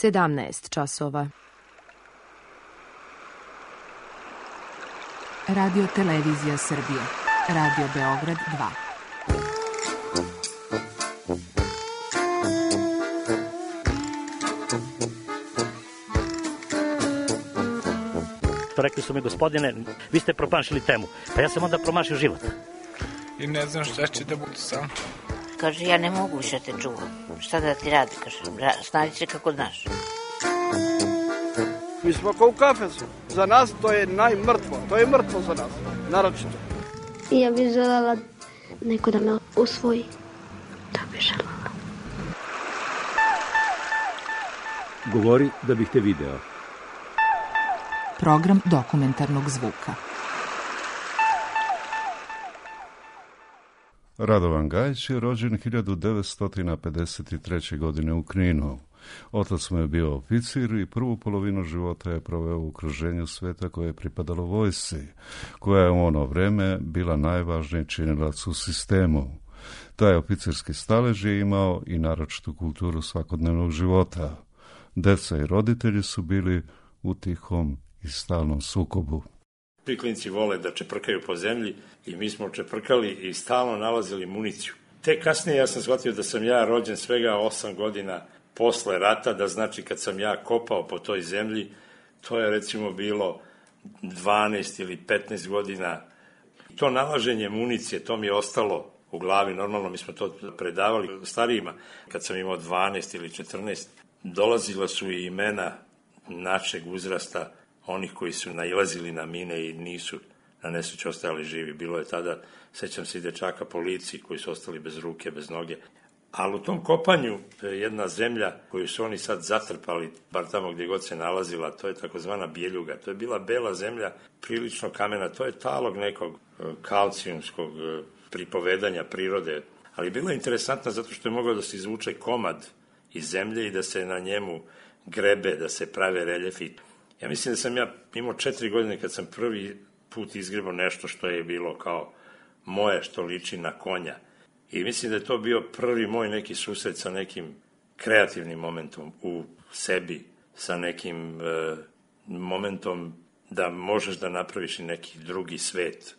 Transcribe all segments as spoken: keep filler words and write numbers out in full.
sedamnaest časova. Radio Televizija Srbije. Radio Beograd dva. Rekli su mi, gospodine, vi ste promašili temu. Pa ja sam onda promašio život. I ne znam šta će da bude sam. Kaže, ja ne mogu više te čuvam. Šta da ti radi, kaže, snađi se kako znaš. Mi smo kao u kafesu. Za nas to je najmrtvo. To je mrtvo za nas, naročito. Ja bih želela neko da me usvoji. To bih želela. Govori da bih te video. Program dokumentarnog zvuka. Radovan Gajić je rođen hiljadu devetsto pedeset treće. godine u Kninu. Otac mu je bio oficir i prvu polovinu života je proveo u okruženju sveta koje je pripadalo vojsci, koja je u ono vreme bila najvažniji činilac u sistemu. Taj oficirski stalež je imao i naročitu kulturu svakodnevnog života. Deca i roditelji su bili u tihom i stalnom sukobu. Svi klinci vole da čeprkaju po zemlji i mi smo čeprkali i stalno nalazili municiju. Te kasnije ja sam shvatio da sam ja rođen svega osam godina posle rata, da znači kad sam ja kopao po toj zemlji, to je recimo bilo dvanaest ili petnaest godina. To nalaženje municije, to mi je ostalo u glavi, normalno mi smo to predavali starijima. Kad sam imao dvanaest ili četrnaest, dolazila su i imena našeg uzrasta, onih koji su nailazili na mine i nisu na nesreću ostajali živi. Bilo je tada, sećam se i dečaka po lici koji su ostali bez ruke, bez noge. Ali u tom kopanju jedna zemlja koju su oni sad zatrpali, bar tamo gdje god se nalazila, to je takozvana Bjeljuga. To je bila bela zemlja, prilično kamena, to je talog nekog kalcijumskog pripovedanja prirode. Ali bila je interesantna zato što je mogao da se izvuče komad iz zemlje i da se na njemu grebe, da se prave reljefi. Ja mislim da sam ja imao četiri godine kad sam prvi put izgrebao nešto što je bilo kao moje, što liči na konja. I mislim da je to bio prvi moj neki susret sa nekim kreativnim momentom u sebi, sa nekim e, momentom da možeš da napraviš i neki drugi svet.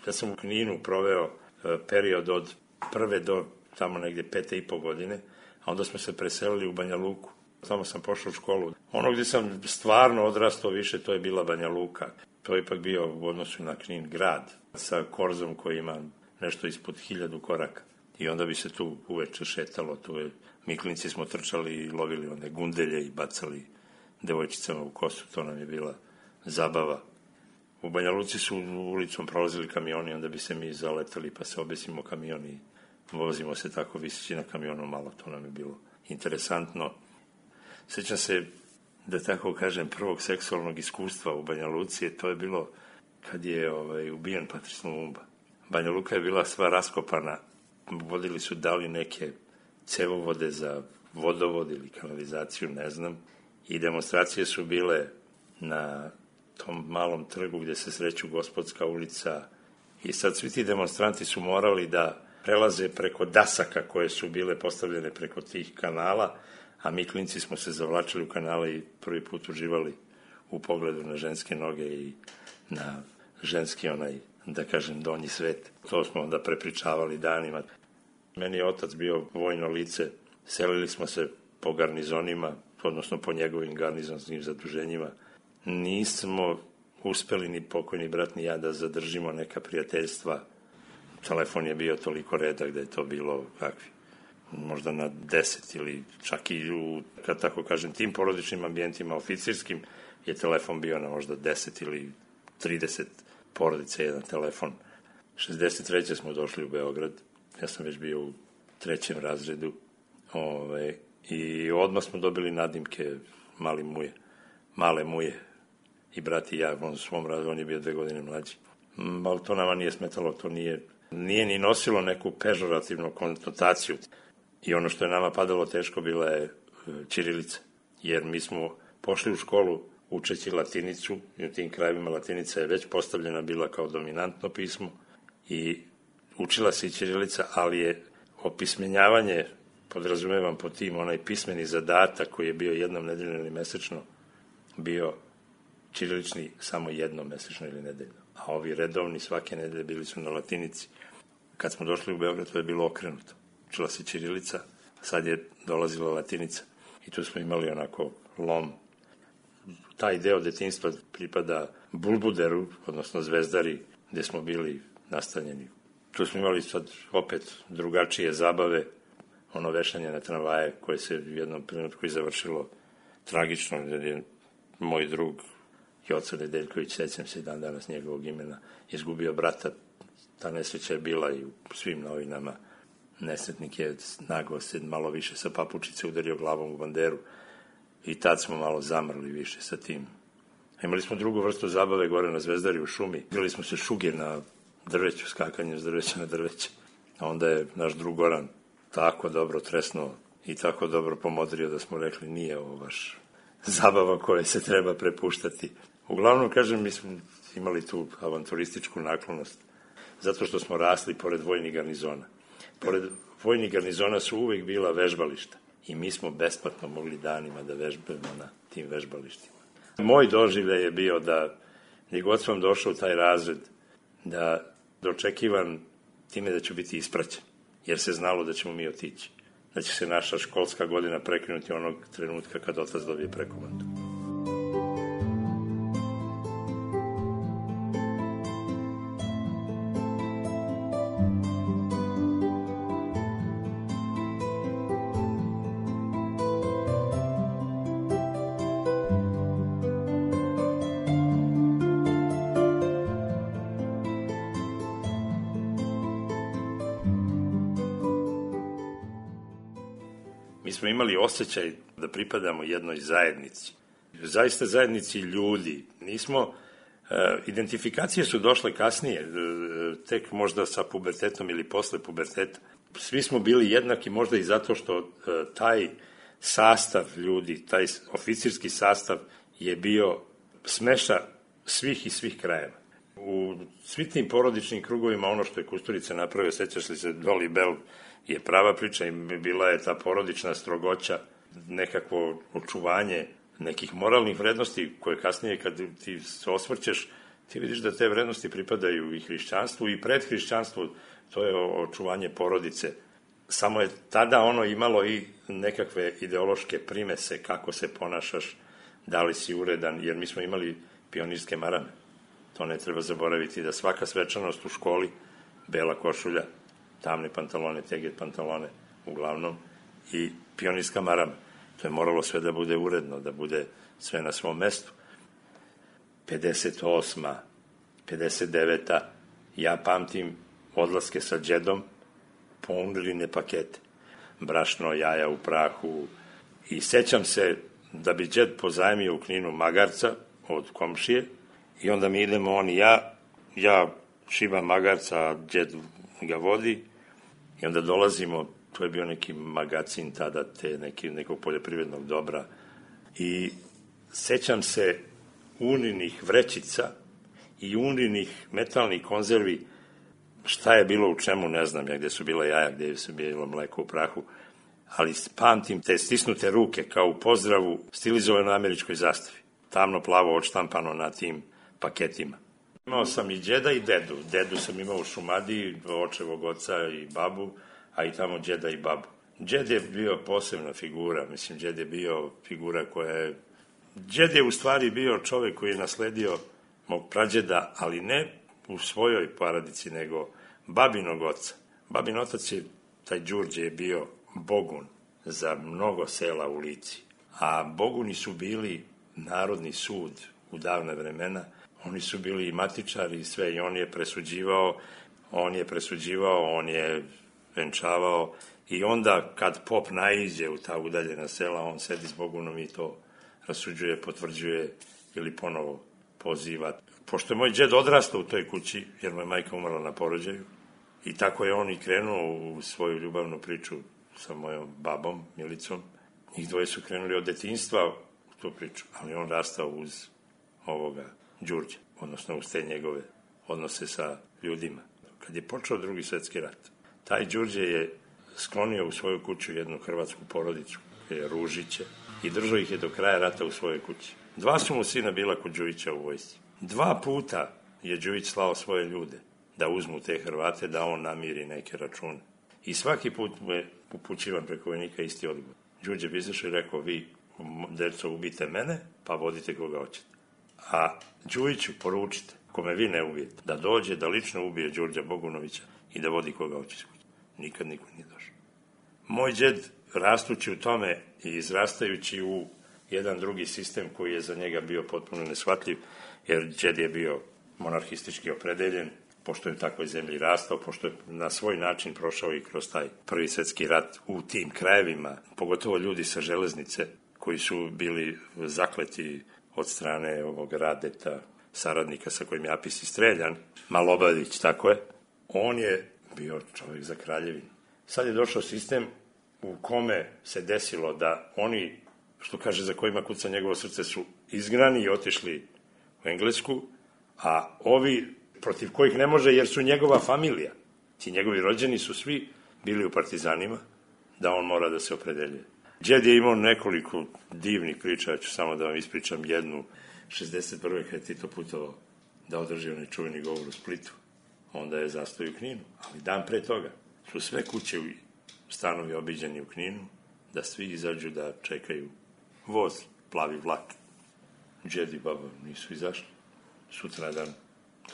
Ja sam u Kninu proveo e, period od prve do tamo negdje pete i po godine, a onda smo se preselili u Banja Luku. Tamo sam pošao u školu. Ono gdje sam stvarno odrastao više, to je bila Banja Luka. To je ipak bio u odnosu na Knin grad, sa korzom koji ima nešto ispod hiljadu koraka. I onda bi se tu uveče šetalo. Tu je, mi klinci smo trčali i lovili one gundelje i bacali devojčicama u kosu. To nam je bila zabava. U Banja Luci su ulicom prolazili kamioni, onda bi se mi zaletali pa se obesimo kamion i vozimo se tako viseći na kamionu malo. To nam je bilo interesantno. Sjećam se, da tako kažem, prvog seksualnog iskustva u Banja Luci, to je bilo kad je ovaj, ubijen Patrice Lumumba. Banja Luka je bila sva raskopana, vodili su dali neke cevovode za vodovod ili kanalizaciju, ne znam, i demonstracije su bile na tom malom trgu gdje se sreću Gospodska ulica i sad svi ti demonstranti su morali da prelaze preko dasaka koje su bile postavljene preko tih kanala, a mi klinci smo se zavlačili u kanale i prvi put uživali u pogledu na ženske noge i na ženski onaj, da kažem, donji svet. To smo onda prepričavali danima. Meni je otac bio vojno lice, selili smo se po garnizonima, odnosno po njegovim garnizonskim zaduženjima. Nismo uspeli ni pokojni brat ni ja da zadržimo neka prijateljstva. Telefon je bio toliko redak da je to bilo kakvi. Možda na deset ili čak i u, kad tako kažem, tim porodičnim ambijentima oficirskim je telefon bio na možda deset ili trideset porodice jedan telefon. šezdeset treće smo došli u Beograd, ja sam već bio u trećem razredu ove, i odmah smo dobili nadimke mali muje, male muje i brat i ja, on u svom razredu, on je bio dve godine mlađi. Ali to nama nije smetalo, to nije, nije ni nosilo neku pežorativnu konotaciju. I ono što je nama padalo teško bila je ćirilica, jer mi smo pošli u školu učeći latinicu i u tim krajevima latinica je već postavljena bila kao dominantno pismo i učila se i ćirilica, ali je opismenjavanje podrazumevam po tim onaj pismeni zadatak koji je bio jednom nedeljno ili mesečno, bio ćirilični samo jednom mesečno ili nedeljno. A ovi redovni svake nedelje bili su na latinici. Kad smo došli u Beograd, to je bilo okrenuto. Učila se ćirilica, a sad je dolazila latinica. I tu smo imali onako lom. Taj deo detinjstva pripada Bulbuderu, odnosno Zvezdari, gde smo bili nastanjeni. Tu smo imali sad opet drugačije zabave, ono vešanje na tramvaje koje se u jednom trenutku i završilo tragično, jer je moj drug Joca Nedeljković, sećam se dan danas njegovog imena, izgubio brata. Ta nesreća je bila i u svim novinama. Nesretnik je naglo se malo više sa papučice udario glavom u banderu i tad smo malo zamrli više sa tim. Imali smo drugu vrstu zabave gore na Zvezdari u šumi. Igrali smo se šuge na drveću, skakanje s drveća na drveće. A onda je naš drug Goran tako dobro tresnuo i tako dobro pomodrio da smo rekli nije ovo baš zabava koje se treba prepuštati. Uglavnom, kažem, mi smo imali tu avanturističku naklonost zato što smo rasli pored vojnih garnizona. Pored vojnih garnizona su uvek bila vežbališta i mi smo besplatno mogli danima da vežbamo na tim vežbalištima. Moj doživljaj je bio da je god sam došao u taj razred, da dočekivan time da ću biti ispraćen, jer se znalo da ćemo mi otići, da će se naša školska godina prekinuti onog trenutka kad otac dobije prekomandu. Smo imali osjećaj da pripadamo jednoj zajednici. Zaista zajednici ljudi. Nismo, e, identifikacije su došle kasnije, e, tek možda sa pubertetom ili posle puberteta. Svi smo bili jednaki možda i zato što e, taj sastav ljudi, taj oficirski sastav je bio smeša svih i svih krajeva. U svim tim porodičnim krugovima ono što je Kusturica napravio, sećaš li se, Doli Bell, je prava priča i bila je ta porodična strogoća, nekakvo očuvanje nekih moralnih vrednosti koje kasnije kad ti se osvrćeš, ti vidiš da te vrednosti pripadaju i hrišćanstvu i pred hrišćanstvu, to je očuvanje porodice. Samo je tada ono imalo i nekakve ideološke primese kako se ponašaš, da li si uredan, jer mi smo imali pionirske marame. To ne treba zaboraviti da svaka svečanost u školi, bela košulja, tamne pantalone, teget pantalone, uglavnom, i pionirska marama. To je moralo sve da bude uredno, da bude sve na svom mestu. pedeset osma, pedeset deveta ja pamtim odlaske sa džedom, punirine pakete, brašno, jaja u prahu, i sećam se da bi džed pozajmio u Kninu magarca od komšije, i onda mi idemo on i ja, ja šibam magarca, a džed ga vodi, i onda dolazimo, to je bio neki magacin tada, te neki, nekog poljoprivrednog dobra, i sećam se uninih vrećica i uninih metalnih konzervi, šta je bilo u čemu, ne znam ja, gde su bila jaja, gde su bilo mleko u prahu, ali pamtim te stisnute ruke kao u pozdravu stilizovano na američkoj zastavi, tamno plavo odštampano na tim paketima. Imao sam i džeda i dedu. Dedu sam imao u Šumadiji, očevog oca i babu, a i tamo džeda i babu. Džed je bio posebna figura, mislim, džed je bio figura koja je... Džed je u stvari bio čovek koji je nasledio mog prađeda, ali ne u svojoj porodici, nego babinog oca. Babin otac je, taj Đurđe, je bio bogun za mnogo sela u Lici. A boguni su bili Narodni sud u davne vremena. Oni su bili i matičari i sve, i on je presuđivao, on je presuđivao, on je venčavao, i onda kad pop naiđe u ta udaljena sela, on sedi s bogunom i to rasuđuje, potvrđuje ili ponovo poziva. Pošto je moj džed odrastao u toj kući, jer moja majka umrla na porođaju, i tako je on i krenuo u svoju ljubavnu priču sa mojom babom, Milicom. Njih dvoje su krenuli od detinjstva u tu priču, ali on rastao uz ovoga Đurđe, odnosno uz te njegove odnose sa ljudima. Kad je počeo Drugi svetski rat, taj Đurđe je sklonio u svoju kuću jednu hrvatsku porodicu, Ružiće, i držao ih je do kraja rata u svojoj kući. Dva su mu sina bila kod Đujića u vojsci. Dva puta je Đujić slao svoje ljude da uzmu te Hrvate, da on namiri neke račune. I svaki put mu je upućivan preko vojnika isti odgovor. Đuđe bi izašao i rekao, vi, deco, ubijte mene, pa vodite koga hoćete. A Đujiću poručite, ako me vi ne ubijete, da dođe, da lično ubije Đurđa Bogunovića i da vodi koga hoće. Nikad niko nije došao. Moj džed, rastući u tome i izrastajući u jedan drugi sistem koji je za njega bio potpuno neshvatljiv, jer džed je bio monarhistički opredeljen, pošto je u takvoj zemlji rastao, pošto je na svoj način prošao i kroz taj prvi svjetski rat u tim krajevima, pogotovo ljudi sa železnice koji su bili zakleti od strane ovog Radeta, saradnika sa kojim je Apis i streljan, Malobadić, tako je, on je bio čovjek za kraljevinu. Sad je došao sistem u kome se desilo da oni, što kaže, za kojima kuca njegovo srce, su izgnani i otišli u Englesku, a ovi protiv kojih ne može jer su njegova familija, ti njegovi rođeni su svi bili u partizanima, da on mora da se opredeljuje. Džed je imao nekoliko divnih priča, ja ću samo da vam ispričam jednu. šezdeset prve kad je Tito putovao da održi onaj čuveni govor u Splitu, onda je zastao u Kninu, ali dan pre toga su sve kuće i stanovi obiđeni u Kninu, da svi izađu da čekaju voz, plavi vlak. Džed i baba nisu izašli. Sutradan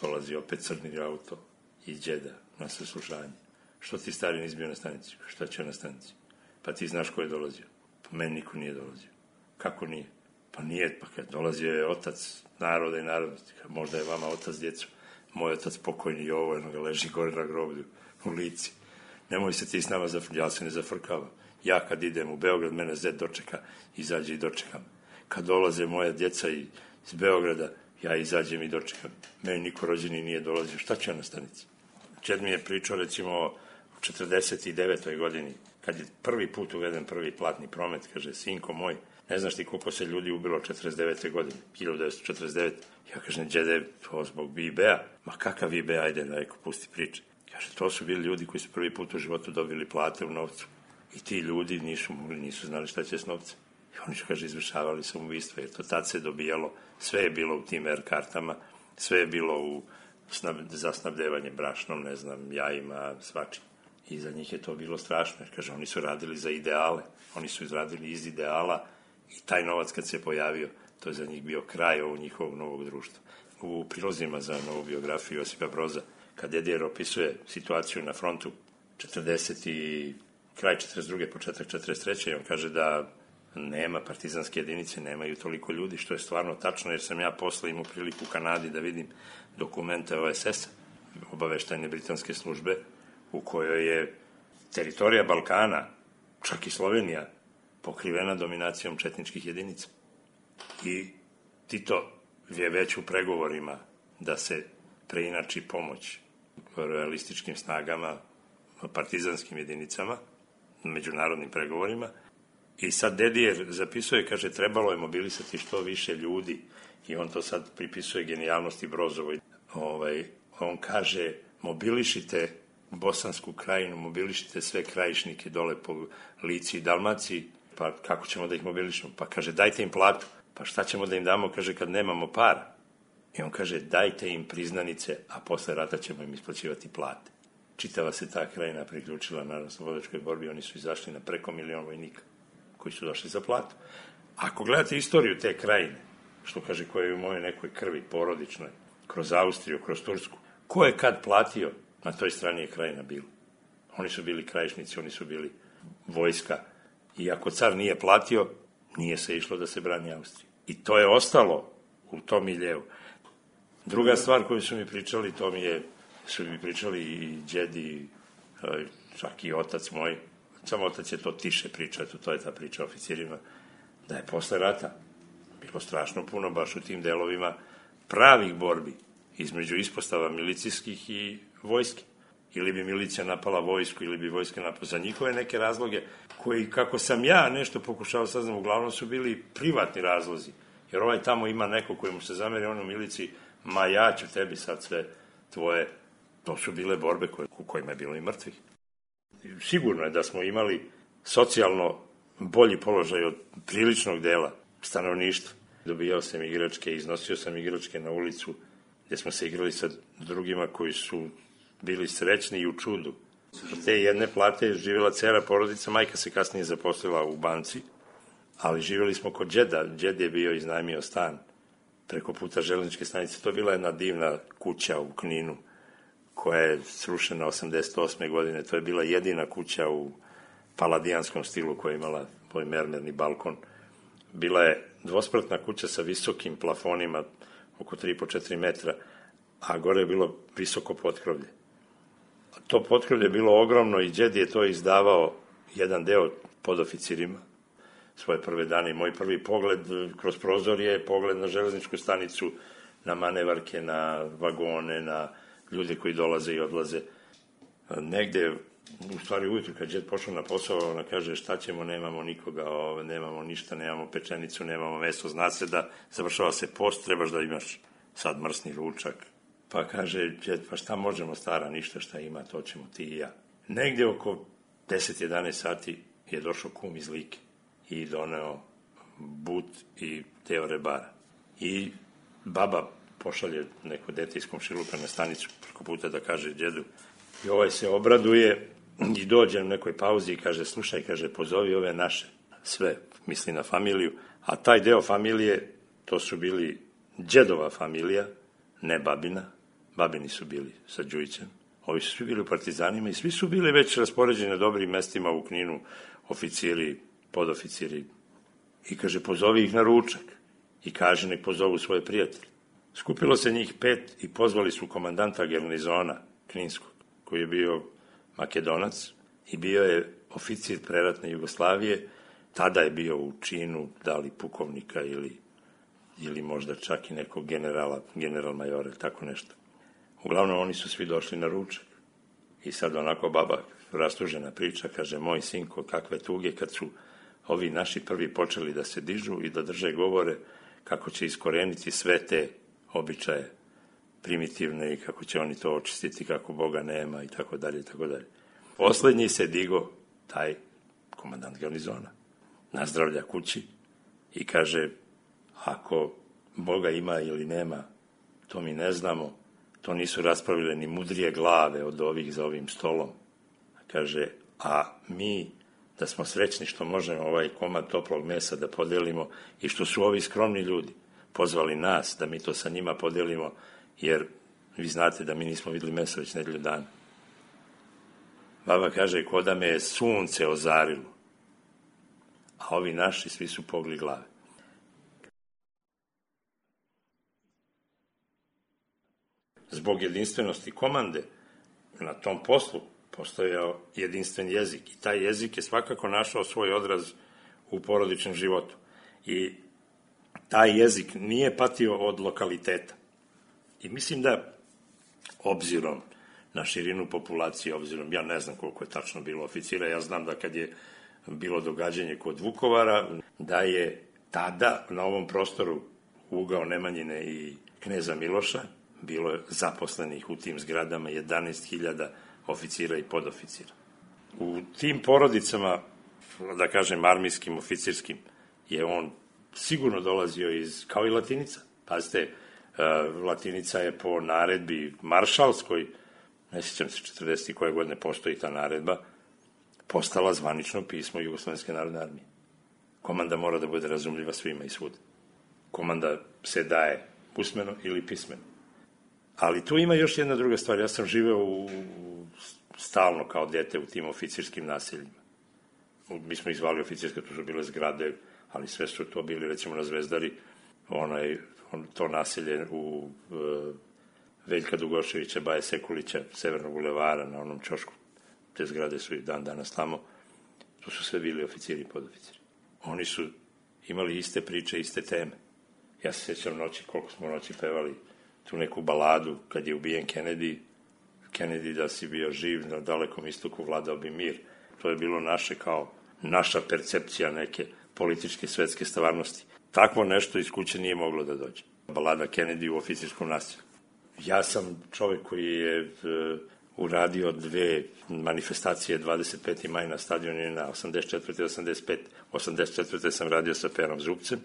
dolazi opet crni auto i džeda na saslušanje. Što ti stari nisi bio na stanici? Šta će na stanici? Pa ti znaš ko je dolazio? Pa meni niko nije dolazio. Kako nije? Pa nije, pa kad dolazio je otac naroda i narodnosti. Možda je vama otac djecu. Moj otac pokojni Jovo, jedno ga leži gore na groblju u Lici. Nemoj se ti s nama zafrkavati. Ja se ne zafrkavam. Ja kad idem u Beograd, mene zet dočeka, izađe i dočekam. Kad dolaze moja djeca iz Beograda, ja izađem i dočekam. Meni niko rođeni nije dolazio. Šta će na stanici? Čed mi je pričao, recimo, u četrdeset devetoj godini, kad je prvi put uveden prvi platni promet, kaže, sinko moj, ne znaš ti koliko se ljudi ubilo četrdeset devete godine, hiljadu devetsto četrdeset devete. Ja kažem, džede, to zbog V B A. Ma kakav V B A, ajde, reko, pusti priče. Kaže, to su bili ljudi koji su prvi put u životu dobili plate u novcu. I ti ljudi nisu mogli, nisu znali šta će s novcem. I oni su, kaže, izvršavali samoubistva, jer to tad se dobijalo, sve je bilo u tim er kartama, sve je bilo u snab, za snabdevanje brašnom, ne znam, jajima, svačim. I za njih je to bilo strašno, jer, kaže, oni su radili za ideale, oni su izradili iz ideala i taj novac kad se pojavio, to je za njih bio kraj ovog njihovog novog društva. U prilozima za novu biografiju Josipa Broza, kad Dedijer opisuje situaciju na frontu četrdeset i kraj četrdeset druge početak četrdeset treće on kaže da nema partizanske jedinice, nemaju toliko ljudi, što je stvarno tačno, jer sam ja posle imao priliku u Kanadi da vidim dokumente O S S-a, obaveštajne britanske službe, u kojoj je teritorija Balkana, čak i Slovenija, pokrivena dominacijom četničkih jedinica. I Tito je već u pregovorima da se preinači pomoć realističkim snagama, partizanskim jedinicama, međunarodnim pregovorima. I sad Dedijer zapisuje, kaže, trebalo je mobilisati što više ljudi i on to sad pripisuje genijalnosti Brozovoj. Ovaj, on kaže, mobilišite Bosansku krajinu, mobilišite sve krajišnike dole po Lici i Dalmaciji, pa kako ćemo da ih mobilišemo? Pa kaže, dajte im platu. Pa šta ćemo da im damo, kaže, kad nemamo para? I on kaže, dajte im priznanice, a posle rata ćemo im isplaćivati plate. Čitava se ta krajina priključila na oslobodilačkoj borbi, oni su izašli na preko milion vojnika koji su došli za platu. Ako gledate istoriju te krajine, što kaže, koja je u mojoj nekoj krvi porodičnoj, kroz Austriju, kroz Tursku, ko je kad platio, na toj strani je krajina bila. Oni su bili krajišnici, oni su bili vojska. I ako car nije platio, nije se išlo da se brani Austrija. I to je ostalo u tom miljeu. Druga stvar koju su mi pričali, to mi je, su mi pričali i džedi, čak i otac moj, samo otac je to tiše pričao, to je ta priča o oficirima, da je posle rata bilo strašno puno baš u tim delovima pravih borbi između ispostava milicijskih i vojske. Ili bi milicija napala vojsku, ili bi vojska napala za njihove neke razloge, koji, kako sam ja nešto pokušao saznam, uglavnom su bili privatni razlozi. Jer ovaj tamo ima neko koji mu se zameri, on u miliciji, ma ja ću tebi sad sve tvoje. To su bile borbe koje, u kojima je bilo i mrtvih. sigurno je da smo imali socijalno bolji položaj od priličnog dela stanovništva. Dobijao sam igračke, iznosio sam igračke na ulicu, gdje smo se igrali sa drugima koji su bili srećni i u čudu. Od te jedne plate je živjela cela porodica, majka se kasnije zaposlila u banci, ali živjeli smo kod džeda. Džed je bio iznajmio stan preko puta železničke stanice. To je bila jedna divna kuća u Kninu, koja je srušena osamdeset osme godine. To je bila jedina kuća u paladijanskom stilu koja je imala svoj mermerni balkon. Bila je dvospratna kuća sa visokim plafonima, oko tri po četiri metra, a gore je bilo visoko potkrovlje. To potkrovlje je bilo ogromno i džed je to izdavao jedan deo podoficirima svoje prve dane. Moj prvi pogled kroz prozor je pogled na železničku stanicu, na manevarke, na vagone, na ljude koji dolaze i odlaze. Negde, u stvari ujutru kad džed pošao na posao, ona kaže šta ćemo, nemamo nikoga, nemamo ništa, nemamo pečenicu, nemamo meso, zna se da završava se post, trebaš da imaš sad mrsni ručak. Pa kaže džed, pa šta možemo stara, ništa šta ima, to ćemo ti i ja. Negde oko deset jedanaest sati je došao kum iz Like i doneo but i deo rebara. I baba pošalje neko dete iz komšiluka na stanicu preko puta da kaže džedu. I ovaj se obraduje i dođe na nekoj pauzi i kaže, slušaj, kaže, pozovi ove naše, sve, misli na familiju, a taj deo familije, to su bili džedova familija, ne babina, babini su bili sa Đujićem, ovi su svi bili u partizanima i svi su bili već raspoređeni na dobrim mestima u Kninu, oficiri, podoficiri, i kaže, pozovi ih na ručak i kaže, nek pozovu svoje prijatelje. Skupilo se njih pet i pozvali su komandanta garnizona Kninskog, koji je bio Makedonac i bio je oficir preratne Jugoslavije, tada je bio u činu, da li pukovnika ili, ili možda čak i nekog generala, general majora, tako nešto. Uglavnom, oni su svi došli na ručak. I sad onako baba rastužena priča, kaže, moj sinko, kakve tuge kad su ovi naši prvi počeli da se dižu i da drže govore kako će iskoreniti sve te običaje primitivne i kako će oni to očistiti, kako Boga nema i tako dalje i tako dalje. Poslednji se digo taj komandant garnizona, nazdravlja kući i kaže, ako Boga ima ili nema, to mi ne znamo, to nisu raspravile ni mudrije glave od ovih za ovim stolom. Kaže, a mi da smo srećni što možemo ovaj komad toplog mesa da podelimo i što su ovi skromni ljudi pozvali nas da mi to sa njima podelimo, jer vi znate da mi nismo videli meso već nedelju dana. Baba kaže, ko da me je sunce ozarilo, a ovi naši svi su pogli glave. Zbog jedinstvenosti komande na tom poslu postojao jedinstven jezik i taj jezik je svakako našao svoj odraz u porodičnom životu. I taj jezik nije patio od lokaliteta. I mislim da, obzirom na širinu populacije, obzirom, ja ne znam koliko je tačno bilo oficira, ja znam da kad je bilo događanje kod Vukovara, da je tada na ovom prostoru ugao Nemanjine i kneza Miloša bilo je zaposlenih u tim zgradama jedanaest hiljada oficira i podoficira. U tim porodicama, da kažem armijskim, oficirskim, je on sigurno dolazio iz, kao i Latinica. Pazite, Latinica je po naredbi maršalskoj, ne sjećam se četrdeset koje godine postoji ta naredba, postala zvanično pismo Jugoslovenske narodne armije. Komanda mora da bude razumljiva svima i svud. Komanda se daje usmeno ili pismeno. Ali tu ima još jedna druga stvar. Ja sam živeo u, stalno kao dete u tim oficirskim naseljima. Mi smo ih zvali oficirske, to su bile zgrade, ali sve su to bili, recimo na Zvezdari, onaj, on, to naselje u e, Veljka Dugoševića, Baje Sekulića, Severnog bulevara, na onom ćošku. Te zgrade su i dan danas tamo. To su sve bili oficiri i podoficiri. Oni su imali iste priče, iste teme. Ja se sjećam noći, koliko smo noći pevali tu neku baladu, kad je ubijen Kennedy, Kennedy da si bio živ, na dalekom istoku vladao bi mir. To je bilo naše kao, naša percepcija neke političke svetske stvarnosti. Takvo nešto iz kuće nije moglo da dođe. Balada Kennedy u oficirskom naselju. Ja sam čovjek koji je uradio dve manifestacije dvadeset peti maj na stadionu na osamdeset četvrte i osamdeset pete osamdeset četvrte sam radio sa Perom Zupcem,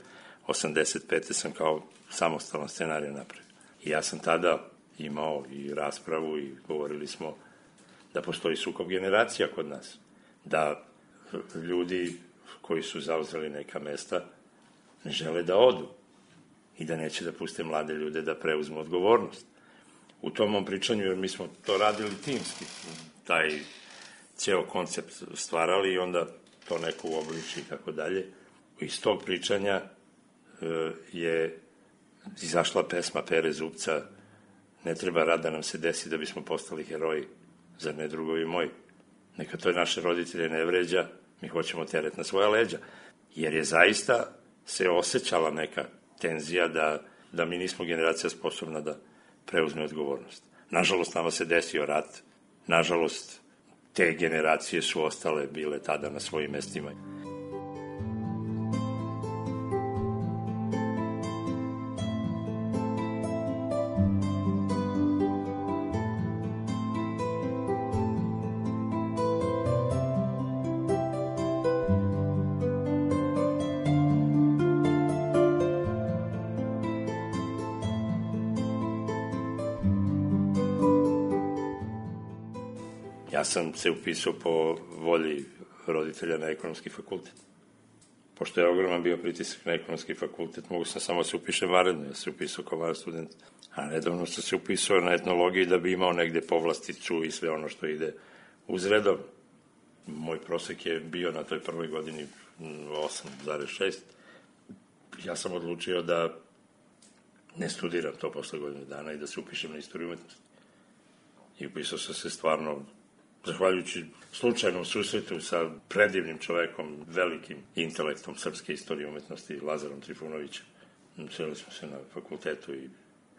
osamdeset pete sam kao samostalan scenarij napravio. I ja sam tada imao i raspravu i govorili smo da postoji sukob generacija kod nas, da ljudi koji su zauzeli neka mesta ne žele da odu i da neće da puste mlade ljude da preuzmu odgovornost. U tom mom pričanju, jer mi smo to radili timski, taj ceo koncept stvarali i onda to neko uobliči i tako dalje. Iz tog pričanja e, je izašla pesma Pere Zupca Ne treba rad da nam se desi da bismo postali heroji, zar ne drugovi moji? Neka to naše roditelje ne vređa, mi hoćemo teret na svoja leđa. Jer je zaista se osjećala neka tenzija da, da mi nismo generacija sposobna da preuzme odgovornost. Nažalost, nama se desio rat. Nažalost, te generacije su ostale, bile tada na svojim mestima. Ja sam se upisao po volji roditelja na ekonomski fakultet. Pošto je ogroman bio pritisak na ekonomski fakultet, mogu sam samo se upišem vanredno, ja se upisao kao vanredni student. A nedavno sam se upisao na etnologiji da bi imao negde povlasticu i sve ono što ide uz redovno. Moj prosek je bio na toj prvoj godini osam zarez šest. Ja sam odlučio da ne studiram to posle godine dana i da se upišem na istoriju umetnosti. I upisao sam se stvarno zahvaljujući slučajnom susretu sa predivnim čovekom, velikim intelektom srpske istorije umetnosti, Lazarom Trifunovićem. Seli smo se na fakultetu i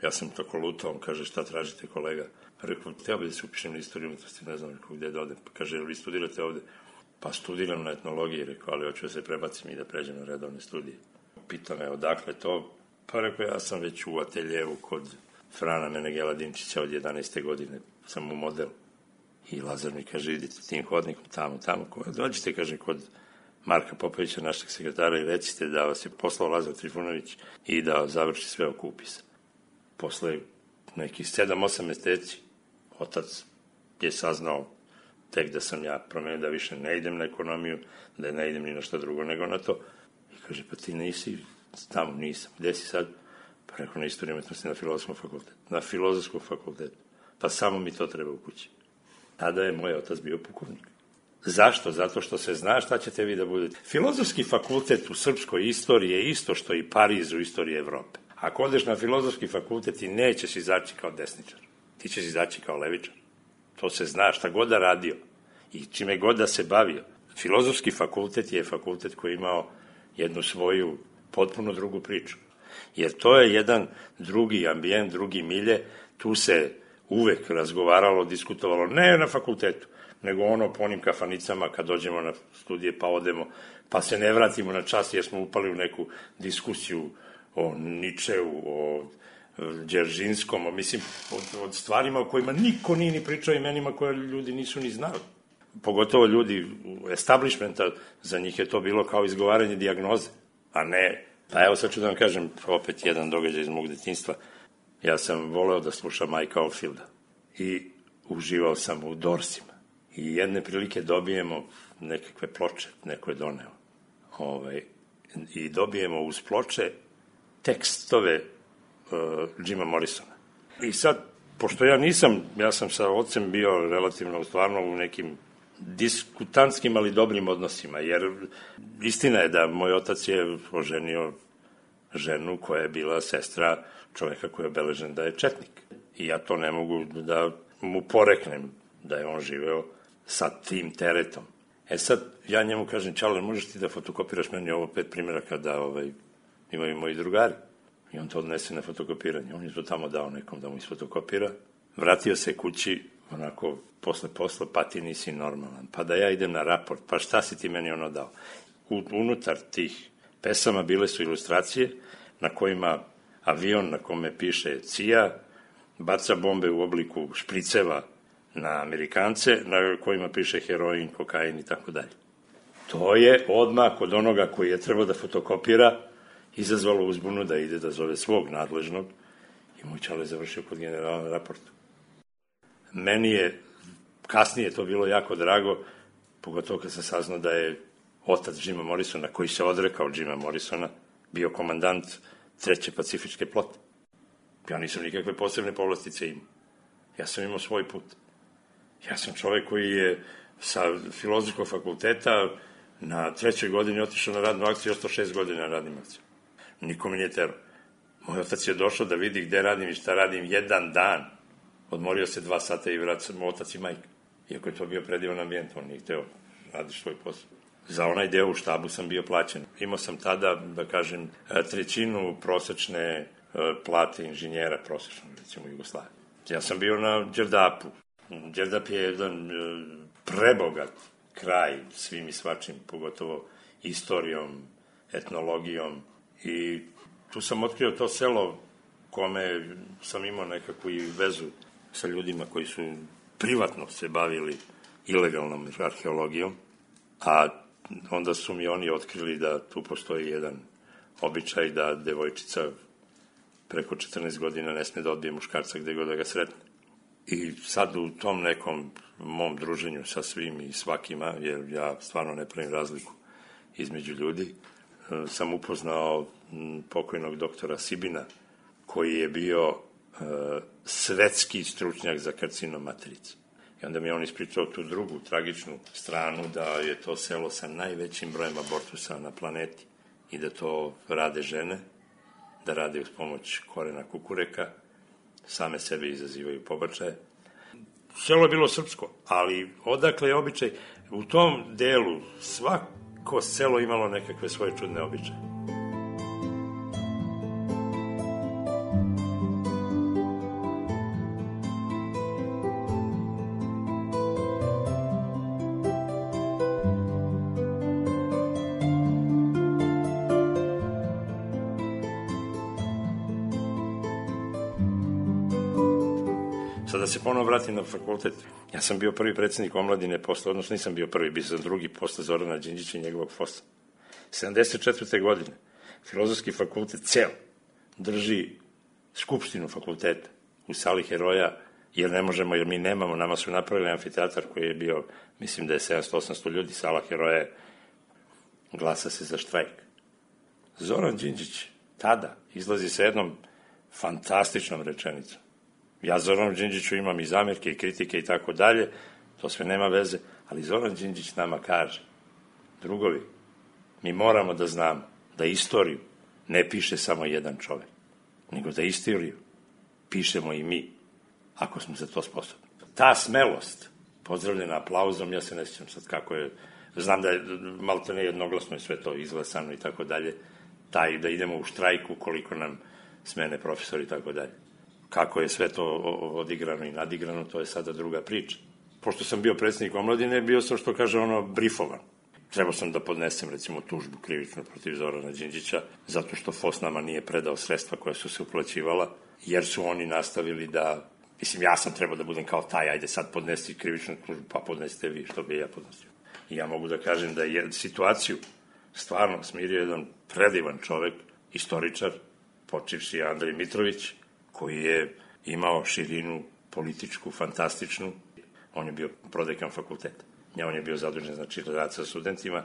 ja sam tako lutao, on kaže, šta tražite kolega? Rekao, teo bi da se upišem na istoriju umetnosti, ne znam rekao gde da odem. Pa kaže, vi studirate ovde? Pa studiram na etnologiji, rekao, ali hoću da se prebacim i da pređem na redovne studije. Pitao me, odakle to? Pa rekao, ja sam već u ateljevu kod Frana Menegela Dimčića od jedanaeste godine, sam u modelu. I Lazar mi kaže, idite tim hodnikom tamo, tamo, dođite, kaže, kod Marka Popovića, našeg sekretara, i recite da vas je poslao Lazar Trifunović i da završi sve oko upisa. Posle nekih sedam osam meseci, otac je saznao tek da sam ja promenio da više ne idem na ekonomiju, da ne idem ni na šta drugo nego na to. I kaže, pa ti nisi tamo, nisam. Gde si sad? Pa rekao, na istoriju umetnosti na filozofskom fakultetu. Na filozofskom fakultetu. Pa samo mi to treba u kući. Tada je moj otac bio pukovnik. Zašto? Zato što se zna šta ćete vi da budete. Filozofski fakultet u srpskoj istoriji je isto što i Pariz u istoriji Evrope. Ako odeš na filozofski fakultet, ti nećeš izaći kao desničar. Ti ćeš izaći kao levičar. To se zna, šta god da radio i čime god da se bavio. Filozofski fakultet je fakultet koji je imao jednu svoju potpuno drugu priču. Jer to je jedan drugi ambijent, drugi milje. Tu se uvek razgovaralo, diskutovalo, ne na fakultetu, nego ono po onim kafanicama kad dođemo na studije pa odemo, pa se ne vratimo na čas jer smo upali u neku diskusiju o Ničeu, o Đeržinskom, o, mislim, od, od stvarima o kojima niko nije ni pričao, imenima koje ljudi nisu ni znali. Pogotovo ljudi establishmenta, za njih je to bilo kao izgovaranje dijagnoze, a ne. Pa evo sad ću da vam kažem opet jedan događaj iz mog detinjstva. Ja sam voleo da slušam Mike'a Oldfielda i uživao sam u Dorsima. I jedne prilike dobijemo nekakve ploče, neko je doneo. Ovaj, I dobijemo uz ploče tekstove uh, Jima Morrisona. I sad, pošto ja nisam, ja sam sa ocem bio relativno stvarno u nekim diskutantskim, ali dobrim odnosima, jer istina je da moj otac je oženio ženu koja je bila sestra čoveka koji je obeležen da je četnik. I ja to ne mogu da mu poreknem da je on živeo sa tim teretom. E sad, ja njemu kažem, Čale, možeš ti da fotokopiraš meni ovo pet primjeraka da ovaj, imaju moji drugari? I on to odnese na fotokopiranje. On je to tamo dao nekom da mu isfotokopira. Vratio se kući, onako, posle posle, pa ti nisi normalan. Pa da ja idem na raport, pa šta si ti meni ono dao? U, unutar tih pesama bile su ilustracije na kojima avion na kome piše C I A baca bombe u obliku špriceva na Amerikance, na kojima piše heroin, kokain i tako dalje. To je odmah kod onoga koji je trebao da fotokopira izazvalo uzbunu da ide da zove svog nadležnog i moj čale završio kod generala na raportu. Meni je kasnije to bilo jako drago, pogotovo kad sam saznao da je otac Jima Morrisona, koji se odrekao Jima Morrisona, bio komandant treće pacifičke flote. Ja nisam nikakve posebne povlastice imao. Ja sam imao svoj put. Ja sam čovek koji je sa filozofskog fakulteta na trećoj godini otišao na radnu akciju i ostao šest godina na radnim akcijama. Niko mi nije terao. Moj otac je došao da vidi gde radim i šta radim jedan dan. Odmorio se dva sata i vrat sam otac i majka. Iako je to bio predivan ambijent, on nije hteo radiš svoj posao. Za onaj deo u štabu sam bio plaćen. Imao sam tada, da kažem, trećinu prosečne plate inženjera prosečnog, recimo u Jugoslaviji. Ja sam bio na Đerdapu. Đerdap je jedan prebogat kraj svim i svačim, pogotovo istorijom, etnologijom i tu sam otkrio to selo kome sam imao nekakvu i vezu sa ljudima koji su privatno se bavili ilegalnom arheologijom, a onda su mi oni otkrili da tu postoji jedan običaj da devojčica preko četrnaest godina ne sme da odbije muškarca gde god da ga sretne. I sad u tom nekom mom druženju sa svim i svakima, jer ja stvarno ne pravim razliku između ljudi, sam upoznao pokojnog doktora Sibina, koji je bio uh, svetski stručnjak za karcinom materice. I onda mi je on ispričao tu drugu tragičnu stranu, da je to selo sa najvećim brojem abortusa na planeti i da to rade žene, da rade uz pomoć korena kukureka, same sebe izazivaju pobačaje. Selo je bilo srpsko, ali odakle je običaj? U tom delu svako selo imalo nekakve svoje čudne običaje. Da se ponovo vratim na fakultet. Ja sam bio prvi predsjednik omladine posle, odnosno nisam bio prvi, bio sam drugi posle Zorana Đinđića i njegovog fosa. sedamdeset četvrte godine Filozofski fakultet ceo drži skupštinu fakulteta u sali heroja, jer ne možemo, jer mi nemamo, nama su napravili amfiteatar koji je bio, mislim da je sedamsto osamsto ljudi, sala heroja je, glasa se za štrajk. Zoran Đinđić tada izlazi sa jednom fantastičnom rečenicom. Ja Zoranu Đinđiću imam i zamjerke i kritike i tako dalje, to sve nema veze, ali Zoran Đinđić nama kaže, drugovi, mi moramo da znamo da istoriju ne piše samo jedan čovek, nego da istoriju pišemo i mi, ako smo za to sposobni. Ta smelost, pozdravljena aplauzom, ja se ne sjećam sad kako je, znam da je malo to nejednoglasno i sve to izglasano i tako dalje, taj da idemo u štrajku koliko nam smene profesori i tako dalje. Kako je sve to odigrano i nadigrano, to je sada druga priča. Pošto sam bio predsjednik omladine, bio sam, što kaže ono, brifovan. Trebao sam da podnesem, recimo, tužbu krivičnu protiv Zorana Đinđića, zato što F O S nama nije predao sredstva koja su se uplaćivala, jer su oni nastavili da, mislim, ja sam trebao da budem kao taj, ajde sad podnesti krivičnu tužbu, pa podnesite vi, što bi ja podnosio. I ja mogu da kažem da je situaciju stvarno smirio jedan predivan čovek, istoričar, počivši Andrej Mitrović, koji je imao širinu političku, fantastičnu. On je bio prodekan fakulteta. On je bio zadužen, znači, rad sa studentima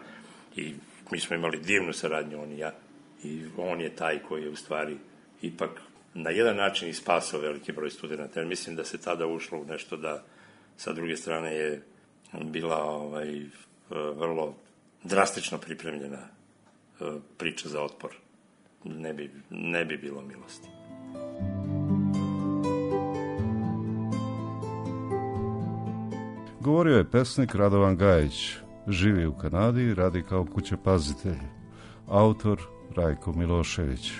i mi smo imali divnu saradnju, on i ja. I on je taj koji je u stvari ipak na jedan način i spasao veliki broj studenta. Jer mislim da se tada ušlo u nešto da sa druge strane je bila ovaj, vrlo drastično pripremljena priča za otpor. Ne bi, ne bi bilo milosti. Govorio je pesnik Radovan Gajić, živi u Kanadi i radi kao kućepazitelj. Autor Rajko Milošević.